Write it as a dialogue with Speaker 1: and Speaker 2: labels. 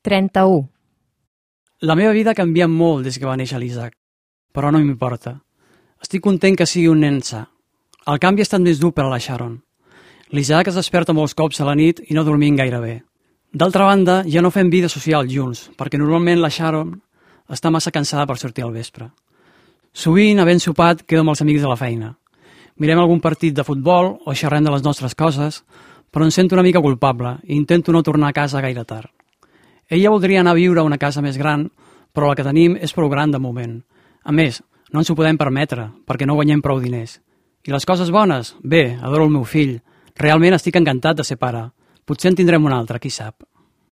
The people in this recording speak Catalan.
Speaker 1: 31.
Speaker 2: La meva vida ha canviat molt des que va néixer l'Isaac, però no m'importa. Estic content que sigui un nen sa. El canvi ha estat més dur per a la Sharon. L'Isaac es desperta molts cops a la nit i no dormim gaire bé. D'altra banda, ja no fem vida social junts, perquè normalment la Sharon està massa cansada per sortir al vespre. Sovint, havent sopat, quedo amb els amics de la feina. Mirem algun partit de futbol o xerrem de les nostres coses, però em sento una mica culpable i intento no tornar a casa gaire tard. Ella voldria anar a viure a una casa més gran, però la que tenim és prou gran de moment. A més, no ens ho podem permetre, perquè no guanyem prou diners. I les coses bones? Bé, adoro el meu fill. Realment estic encantat de ser pare. Potser en tindrem un altre, qui sap.